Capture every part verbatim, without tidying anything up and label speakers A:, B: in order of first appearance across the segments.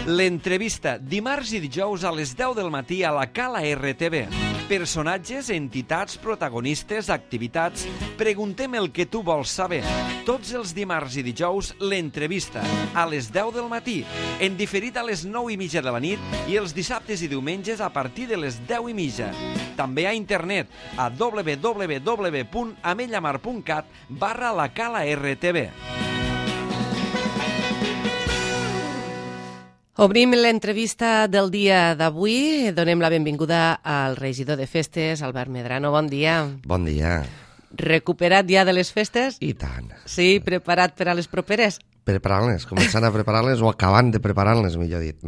A: L'entrevista, dimarts i dijous a les deu del matí a la Cala R T V. Personatges, entitats, protagonistes, activitats... Preguntem el que tu vols saber. Tots els dimarts i dijous, l'entrevista, a les deu del matí, en diferit a les nou i mitja de la nit i els dissabtes i diumenges a partir de les deu i mitja. També a internet a w w w punt amellamar punt cat barra la Cala R T V.
B: Obrim l'entrevista del dia d'avui. Donem la benvinguda al regidor de festes, Albert Medrano. Bon dia.
C: Bon dia.
B: Recuperat ja de les festes?
C: I tant.
B: Sí, preparat per a les properes?
C: Preparant-les, començant a preparar-les o acabant de preparar-les, millor dit.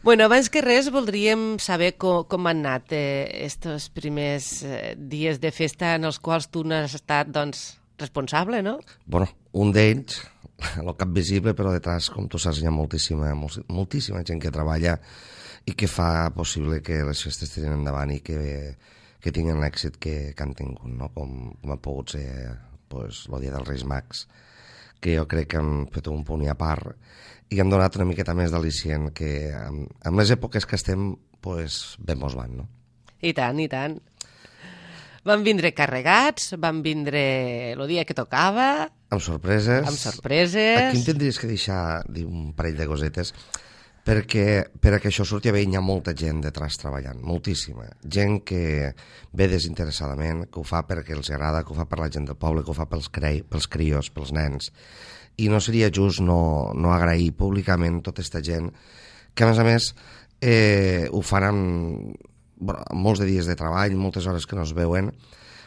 B: Bueno, abans que res voldríem saber com, com han anat eh, estos primers eh, dies de festa en els quals tu n'has estat, doncs, responsable, no?
C: Bueno, un d'ells, el cap visible, però detrás, com tu saps, hi ha moltíssima, moltíssima gent que treballa i que fa possible que les festes tirin endavant i que, que tinguin l'èxit que, que han tingut, no? Com, com ha pogut ser pues, el dia dels Reis Mags, que jo crec que han fet un punt i a part i han donat una miqueta més d'al·licient que amb, amb les èpoques que estem pues, ben mos van, no?
B: I tant, i tant. Van vindre carregats, van vindre el dia que tocava...
C: Amb sorpreses.
B: Amb sorpreses.
C: Aquí em tindries que deixar dir un parell de cosetes perquè per a que això surti bé hi ha molta gent detrás treballant, moltíssima. Gent que ve desinteressadament, que ho fa perquè els agrada, que ho fa per la gent del poble, que ho fa pels, crei, pels crios, pels nens. I no seria just no, no agrair públicament tota aquesta gent que, a més a més, eh, ho fan amb, bueno, amb molts de dies de treball, moltes hores que no es veuen,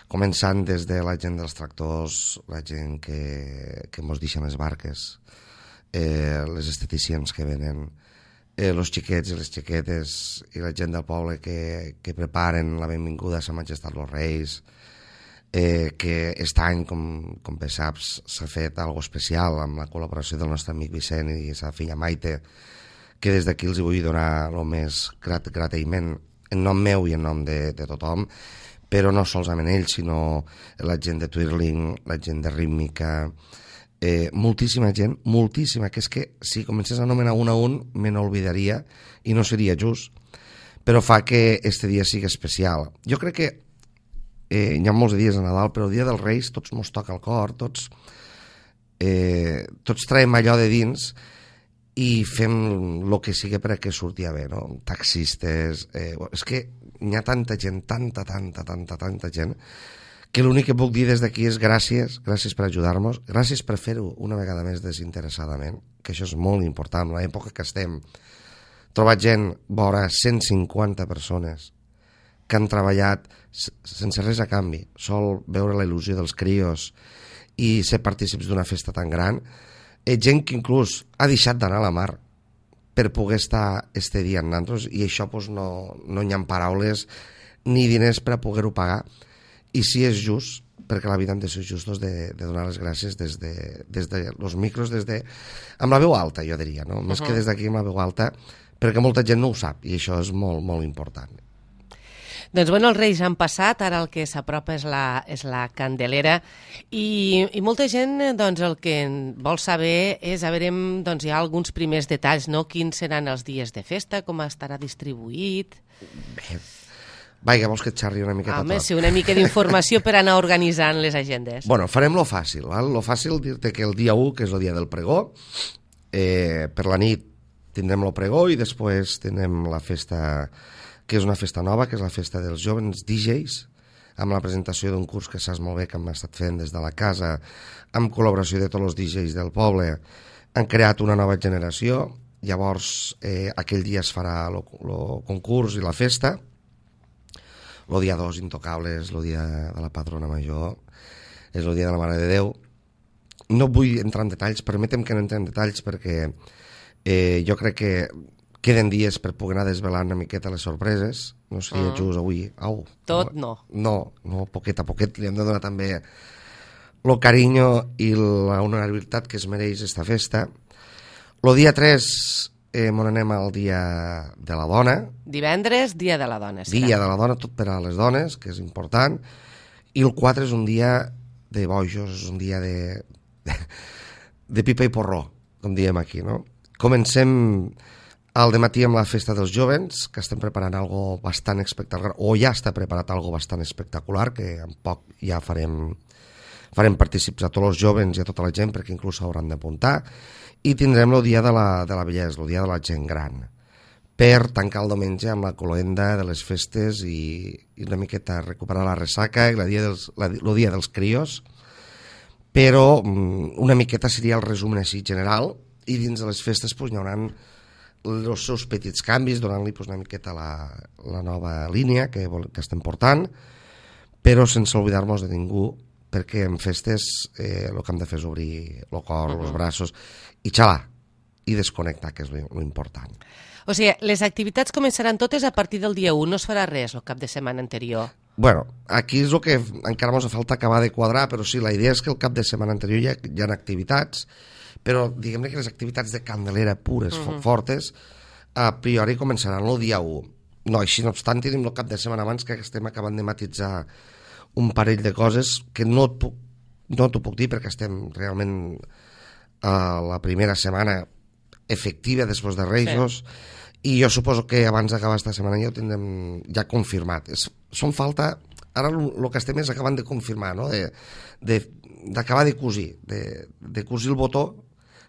C: començant des de la gent dels tractors, la gent que, que mos deixen les barques, eh, les esteticians que venen, eh, els xiquets i les xiquetes i la gent del poble que, que preparen la benvinguda a Sa Majestat los Reis, eh, que aquest any, com, com bé saps, s'ha fet algo especial amb la col·laboració del nostre amic Vicent i sa filla Maite, que des d'aquí els vull donar el més grat, grateïment en nom meu i en nom de, de tothom, però no solament ells, sinó la gent de Twirling, la gent de Rítmica, eh, moltíssima gent, moltíssima, que és que si comencés a anomenar un a un me n'olvidaria i no seria just, però fa que este dia sigui especial. Jo crec que eh, hi ha molts dies a Nadal, però el dia dels Reis tots mos toca el cor, tots, eh, tots traiem allò de dins i fem el que sigui per a que surti bé, no? Taxistes... Eh, és que hi ha tanta gent, tanta, tanta, tanta, tanta gent, que l'únic que puc dir des d'aquí és gràcies, gràcies per ajudar-nos, gràcies per fer-ho una vegada més desinteressadament, que això és molt important. En l'època que estem, trobat gent, vora cent cinquanta persones, que han treballat sense res a canvi, sol veure la il·lusió dels crios i ser partícips d'una festa tan gran, eh, gent que inclús ha deixat d'anar a la mar per poder estar este dia amb nosaltres, i això pues, no, no hi ha paraules ni diners per a poder-ho pagar, i si és just, perquè la vida hem de ser justos de, de donar les gràcies des de, des de los micros, des de, amb la veu alta, jo diria, no? Més uh-huh. que des d'aquí amb la veu alta, perquè molta gent no ho sap, i això és molt, molt important.
B: Doncs bueno, els Reis han passat, ara el que s'apropa és la, és la Candelera i, i molta gent doncs, el que vol saber és, a veure, doncs, hi ha alguns primers detalls, no? Quins seran els dies de festa, com estarà distribuït...
C: Bé, vaja, vols que et xerri una miqueta
B: Home,
C: tot?
B: sí, una mica d'informació per anar organitzant les agendes.
C: Bueno, farem lo fàcil, val? Lo fàcil dir-te que el dia u, que és el dia del pregó, eh, per la nit tindrem lo pregó i després tindrem la festa... que és una festa nova, que és la festa dels jovens D Js, amb la presentació d'un curs que saps molt bé que hem estat fent des de la casa, amb col·laboració de tots els D Js del poble. Han creat una nova generació, llavors eh, aquell dia es farà el concurs i la festa. El dia dos, Intocables, el dia de la Patrona Major, és el dia de la Mare de Déu. No vull entrar en detalls, permetem que no entrem en detalls perquè eh, jo crec que queden dies per poder anar desvelant una miqueta les sorpreses. No seria mm. just avui. Au,
B: Tot no.
C: No, no, poquet a poquet li hem de donar també el carinyo i la honorabilitat que es mereix esta festa. El dia tres eh, m'on anem al dia de la dona.
B: Divendres, dia de la dona. Serà.
C: Dia de la dona, tot per a les dones, que és important. I el quatre és un dia de bojos, és un dia de, de, de pipa i porró, com diem aquí, no? comencem al dematí amb la festa dels jovens, que estem preparant algo bastant espectacular, o ja està preparat algo bastant espectacular, que en poc ja farem, farem partícips a tots els jovens i a tota la gent, perquè inclús s'hauran d'apuntar, i tindrem el dia de la, de la vellesa, el dia de la gent gran, per tancar el diumenge amb la cloenda de les festes i, i una miqueta recuperar la ressaca i el dia dels, la, el dia dels crios, però una miqueta seria el resum així general, i dins de les festes pues, hi haurà els seus petits canvis, donant-li pues, una miqueta la, la nova línia que, que estem portant, però sense oblidar-nos de ningú, perquè en festes eh, el que hem de fer és obrir el cor, els braços, i xalar, i desconnectar, que és l'important.
B: O sigui, les activitats començaran totes a partir del dia u, no es farà res el cap de setmana anterior.
C: Bueno, aquí és el que encara ens falta acabar de quadrar, però sí, la idea és que el cap de setmana anterior hi ha, hi ha activitats, però diguem-ne que les activitats de Candelera pures, uh-huh. fortes, a priori començaran el dia u. No, així no obstant, tenim el cap de setmana abans que estem acabant de matitzar un parell de coses que no t'ho no puc dir perquè estem realment a la primera setmana efectiva després de Reis, sí. I jo suposo que abans d'acabar aquesta setmana ja ho tindrem ja confirmat. És, són falta, ara el que estem és acabant de confirmar, no? de, de, d'acabar de cosir, de, de cosir el botó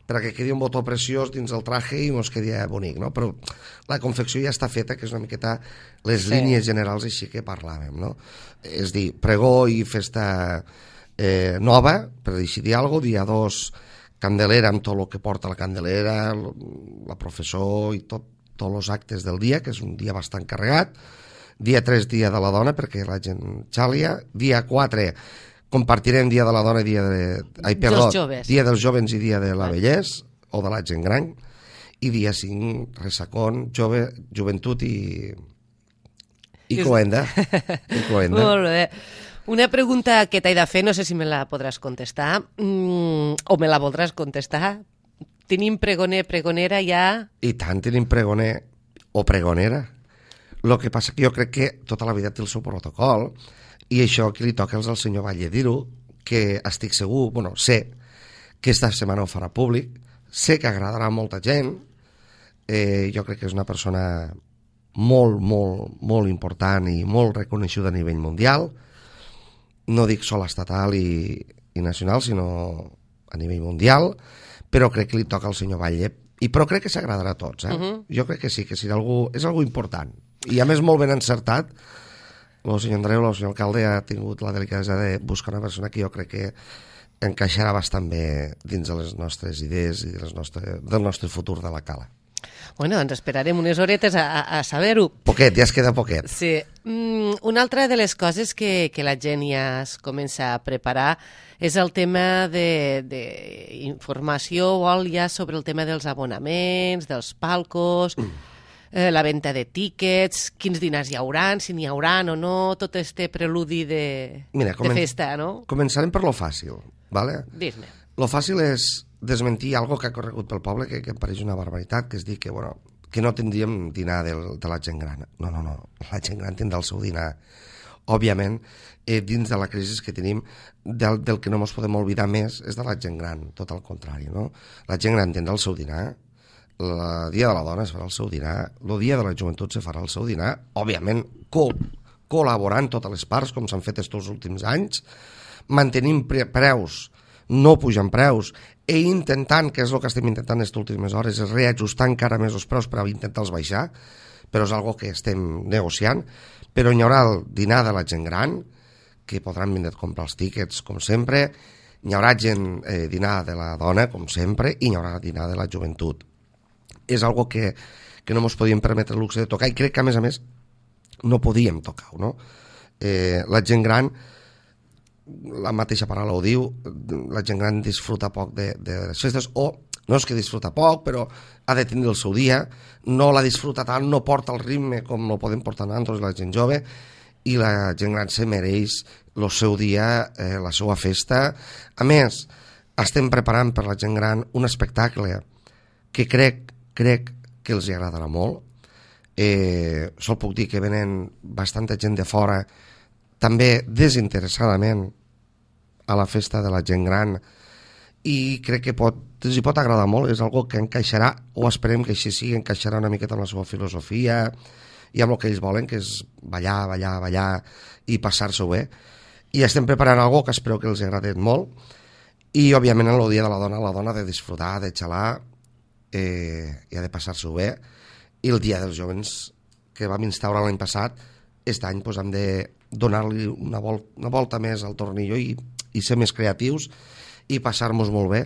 C: perquè quedi un botó preciós dins el traje i ens quedi bonic, no? Però la confecció ja està feta, que és una miqueta les sí. línies generals així que parlàvem, no? És dir, pregó i festa eh, nova, per dir alguna cosa, dia dos, Candelera amb tot el que porta la Candelera, la professor i tot, tots els actes del dia, que és un dia bastant carregat, dia tres, dia de la dona, perquè la gent xàlia, dia quatre, compartirem dia de la dona i dia de... Ai, perdó, dia dels jovens i dia de la vellesa, o de la gent gran, i dia cinc, ressacón, jove, joventut i... i cloenda. I cloenda.
B: Molt bé. Una pregunta que t'he de fer, no sé si me la podràs contestar, mm, o me la voldràs contestar. Tenim pregoner, pregonera ja...
C: I tant, tenim pregoner o pregonera. El que passa que jo crec que tota la vida té el seu protocol, i això que li toca al senyor Batlle dir-ho, que estic segur, bueno, sé que esta setmana ho farà públic, sé que agradarà a molta gent, eh, jo crec que és una persona molt, molt, molt important i molt reconeixuda a nivell mundial, no dic sol estatal i, i nacional, sinó a nivell mundial, però crec que li toca al senyor Batlle, i però crec que s'agradarà a tots, eh? Uh-huh. Jo crec que sí, que serà algú, és algú important, i a més molt ben encertat. El senyor Andreu, el senyor alcalde, ha tingut la delicadesa de buscar una persona que jo crec que encaixarà bastant bé dins de les nostres idees i de les nostres, del nostre futur de la Cala.
B: Bueno, doncs esperarem unes horetes a, a saber-ho.
C: Poquet, ja es queda poquet.
B: Sí. Mm, una altra de les coses que, que la gent ja es comença a preparar és el tema d'informació o ja sobre el tema dels abonaments, dels palcos, mm. eh, la venda de tíquets, quins dinars hi haurà, si n'hi haurà o no, tot este preludi de, Mira, comen- de festa, no?
C: Començarem per lo fàcil, ¿vale?
B: Dis-me.
C: Lo fàcil és desmentir algo que ha corregut pel poble, que, que em pareix una barbaritat, que és dir que, bueno, que no tindríem dinar del, de la gent gran. No, no, no, la gent gran tindrà el seu dinar. Òbviament, eh, dins de la crisi que tenim, del, del que no ens podem oblidar més és de la gent gran, tot al contrari, no? La gent gran tindrà el seu dinar, el dia de la dona es farà el seu dinar, el dia de la joventut se farà el seu dinar, òbviament co col·laborant totes les parts, com s'han fet estos últims anys, mantenint pre preus, no pujant preus, i intentant, que és el que estem intentant aquestes últimes hores, és reajustar encara més els preus per intentar-los baixar, però és algo que estem negociant, però hi haurà el dinar de la gent gran, que podran vindre a comprar els tíquets, com sempre, hi haurà gent eh, dinar de la dona, com sempre, i hi haurà dinar de la joventut. És algo que, que no ens podíem permetre el luxe de tocar, i crec que, a més a més, no podíem tocar-ho, no? Eh, la gent gran, la mateixa paraula ho diu, la gent gran disfruta poc de, de les festes, o no és que disfruta poc, però ha de tenir el seu dia, no la disfruta tant, no porta el ritme com no podem portar nosaltres, la gent jove, i la gent gran se mereix el seu dia, eh, la seva festa. A més, estem preparant per la gent gran un espectacle que crec, crec que els agradarà molt. Eh, sol puc dir que venen bastanta gent de fora, també desinteressadament, a la festa de la gent gran, i crec que pot, els hi pot agradar molt, és algo que encaixarà, o esperem que així sigui, encaixarà una miqueta amb la seva filosofia i amb el que ells volen, que és ballar, ballar, ballar i passar-s'ho bé. I estem preparant algo que espero que els agradi molt, i òbviament en el dia de la dona, la dona ha de disfrutar, de xalar, eh, i ha de passar-s'ho bé, i el dia dels jovens que vam instaurar l'any passat, aquest any pues, hem de donar-li una, vol una volta més al tornillo i, i ser més creatius i passar-nos molt bé.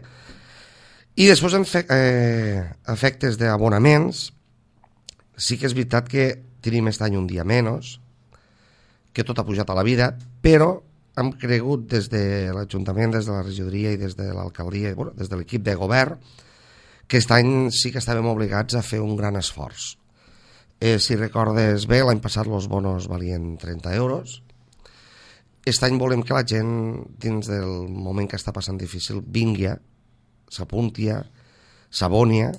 C: I després en fe eh, efectes d'abonaments, sí que és veritat que tenim aquest any un dia menys, que tot ha pujat a la vida, però hem cregut des de l'Ajuntament, des de la regidoria i des de l'alcaldia, bueno, des de l'equip de govern, que aquest any sí que estàvem obligats a fer un gran esforç. Eh, si recordes bé, l'any passat els bonos valien trenta euros. Aquest any volem que la gent, dins del moment que està passant difícil, vingui, s'apunti, s'abonia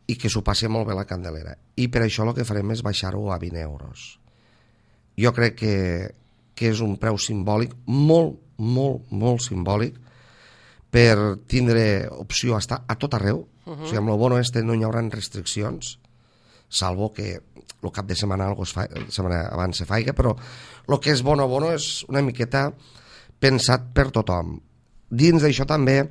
C: i que s'ho passi molt bé la Candelera. I per això el que farem és baixar-ho a vint euros. Jo crec que, que és un preu simbòlic, molt, molt, molt simbòlic, per tindre opció a estar a tot arreu. Uh -huh. O sigui, amb el bono este no hi haurà restriccions, salvo que el cap de setmana, algo es fa, setmana abans se faiga, però el que és bono bono és una miqueta pensat per tothom. Dins d'això també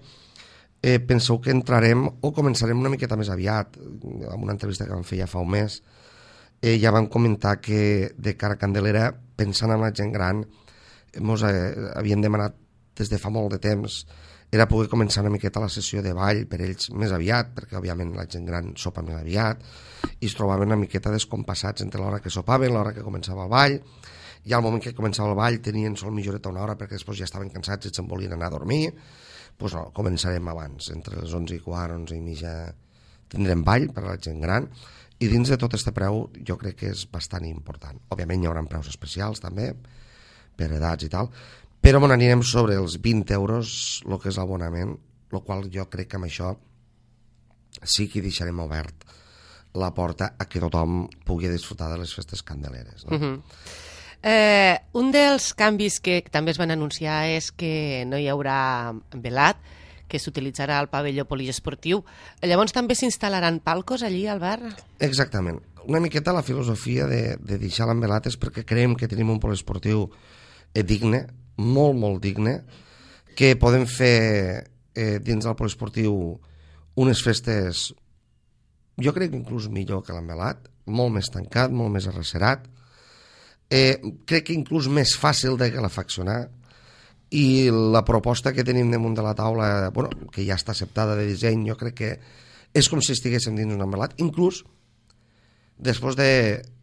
C: eh, penseu que entrarem o començarem una miqueta més aviat. En una entrevista que vam fer ja fa un mes eh, ja vam comentar que de cara a Candelera, pensant en la gent gran, ens eh, havien demanat des de fa molt de temps era poder començar una miqueta la sessió de ball per ells més aviat, perquè òbviament la gent gran sopa més aviat i es trobaven una miqueta descompassats entre l'hora que sopaven, l'hora que començava el ball, i al moment que començava el ball tenien sol mitja horeta una hora perquè després ja estaven cansats i se'n volien anar a dormir. Doncs no, començarem abans, entre les onze i quart, onze i mitja tindrem ball per a la gent gran, i dins de tot aquest preu jo crec que és bastant important. Òbviament hi haurà preus especials també, per edats i tal, però on anirem sobre els vint euros el que és l'abonament, el qual jo crec que amb això sí que deixarem obert la porta a que tothom pugui disfrutar de les festes candeleres. No?
B: Uh-huh. eh, un dels canvis que també es van anunciar és que no hi haurà velat, que s'utilitzarà el pavelló poliesportiu. Llavors també s'instal·laran palcos allí al bar?
C: Exactament. Una miqueta la filosofia de, de deixar l'envelat és perquè creiem que tenim un poliesportiu eh, digne, molt, molt digne, que podem fer eh, dins del poliesportiu unes festes, jo crec que inclús millor que l'envelat, molt més tancat, molt més arrecerat, eh, crec que inclús més fàcil de calefaccionar, i la proposta que tenim damunt de la taula, bueno, que ja està acceptada de disseny, jo crec que és com si estiguéssim dins un envelat. Inclús, després de,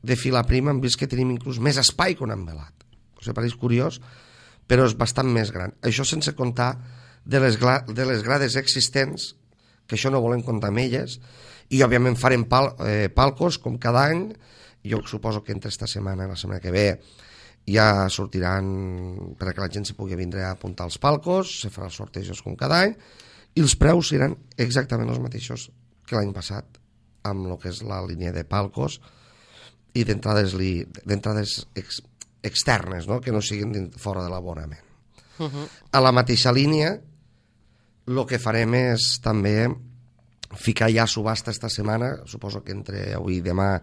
C: de filar prima, hem vist que tenim inclús més espai que un envelat. O sigui, pareix curiós, però és bastant més gran. Això sense comptar de les, de les grades existents, que això no volem comptar amb elles, i òbviament farem pal, eh, palcos com cada any. Jo suposo que entre esta setmana i la setmana que ve ja sortiran perquè la gent s'hi pugui vindre a apuntar els palcos, se farà els sortejos com cada any, i els preus seran exactament els mateixos que l'any passat, amb el que és la línia de palcos i d'entrades ex, externes, no? Que no siguin fora de l'abonament. Uh-huh. A la mateixa línia, el que farem és també ficar ja a subhasta esta setmana, suposo que entre avui i demà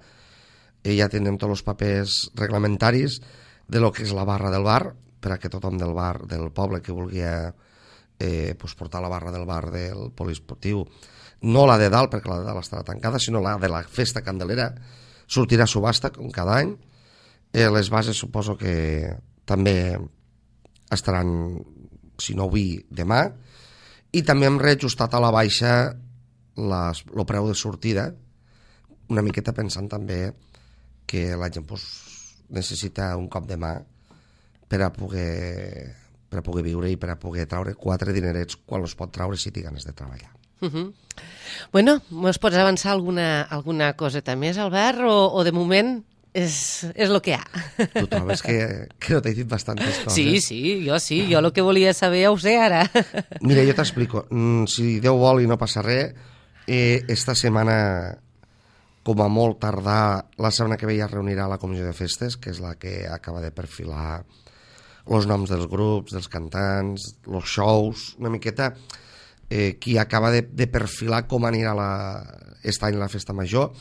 C: ja tindrem tots els papers reglamentaris de lo que és la barra del bar, per a que tothom del bar del poble que vulgui eh, pues portar la barra del bar del poliesportiu, no la de dalt perquè la de dalt estarà tancada, sinó la de la festa candelera, sortirà a subhasta com cada any. Eh, les bases suposo que també estaran, si no avui, demà, i també hem reajustat a la baixa les, el preu de sortida, una miqueta pensant també que la gent pues, necessita un cop de mà per a poder per a poder viure i per a poder traure quatre dinerets quan els pot traure si té ganes de treballar.
B: Uh-huh. Bueno, mos pots avançar alguna, alguna coseta més, Albert, o, o de moment és, és el que hi ha?
C: Tu trobes que, que no t'he dit bastantes coses?
B: Sí, sí, jo sí, jo el que volia saber ja ho sé ara.
C: Mira, jo t'explico, si Déu vol i no passa res, eh, esta setmana, com a molt tardar, la setmana que ve ja es reunirà la comissió de festes, que és la que acaba de perfilar els noms dels grups, dels cantants, els shows, una miqueta eh, qui acaba de, de perfilar com anirà la, aquest any la festa major.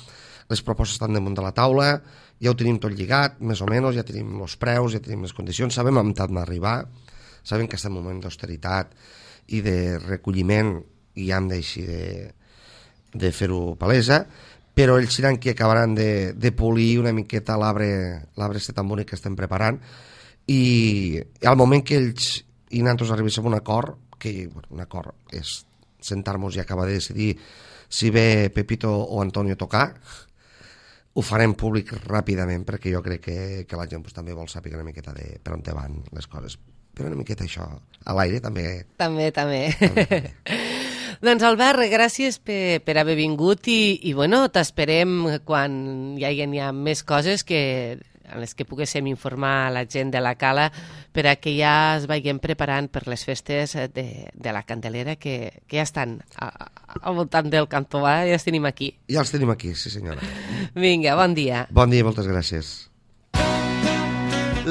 C: Les propostes estan damunt de la taula, ja ho tenim tot lligat, més o menys, ja tenim els preus, ja tenim les condicions, sabem on hem d'arribar, sabem que estem en un moment d'austeritat i de recolliment i ja hem d'així de, de fer-ho palesa, però ells seran qui acabaran de, de polir una miqueta l'arbre este tan bonic que estem preparant, i al moment que ells i nosaltres arribéssim a un acord, que bueno, un acord és sentar-nos i acabar de decidir si ve Pepito o Antonio a tocar, ho farem públic ràpidament, perquè jo crec que, que la gent pues, també vol saber una miqueta de per on te van les coses. Però una miqueta això, a l'aire també...
B: També, també.
C: també, també.
B: Doncs Albert, gràcies per, per haver vingut i, i bueno, t'esperem quan hi hagi ja més coses que, en les que poguéssim informar la gent de la Cala per a que ja es vagin preparant per les festes de, de la Candelera que, que ja estan a, a, al voltant del Cantobà, ja els tenim aquí.
C: Ja els tenim aquí, sí senyora.
B: Vinga, bon dia.
C: Bon dia, moltes gràcies.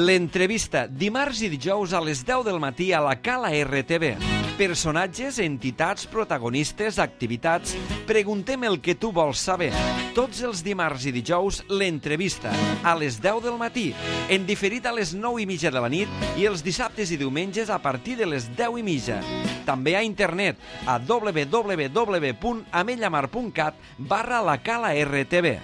A: L'entrevista, dimarts i dijous a les deu del matí a la Cala R T V. Personatges, entitats, protagonistes, activitats... Preguntem el que tu vols saber. Tots els dimarts i dijous, l'entrevista, a les deu del matí, en diferit a les nou i mitja de la nit i els dissabtes i diumenges a partir de les deu i mitja. També a internet, a w w w punt amellamar punt cat barra la Cala R T V.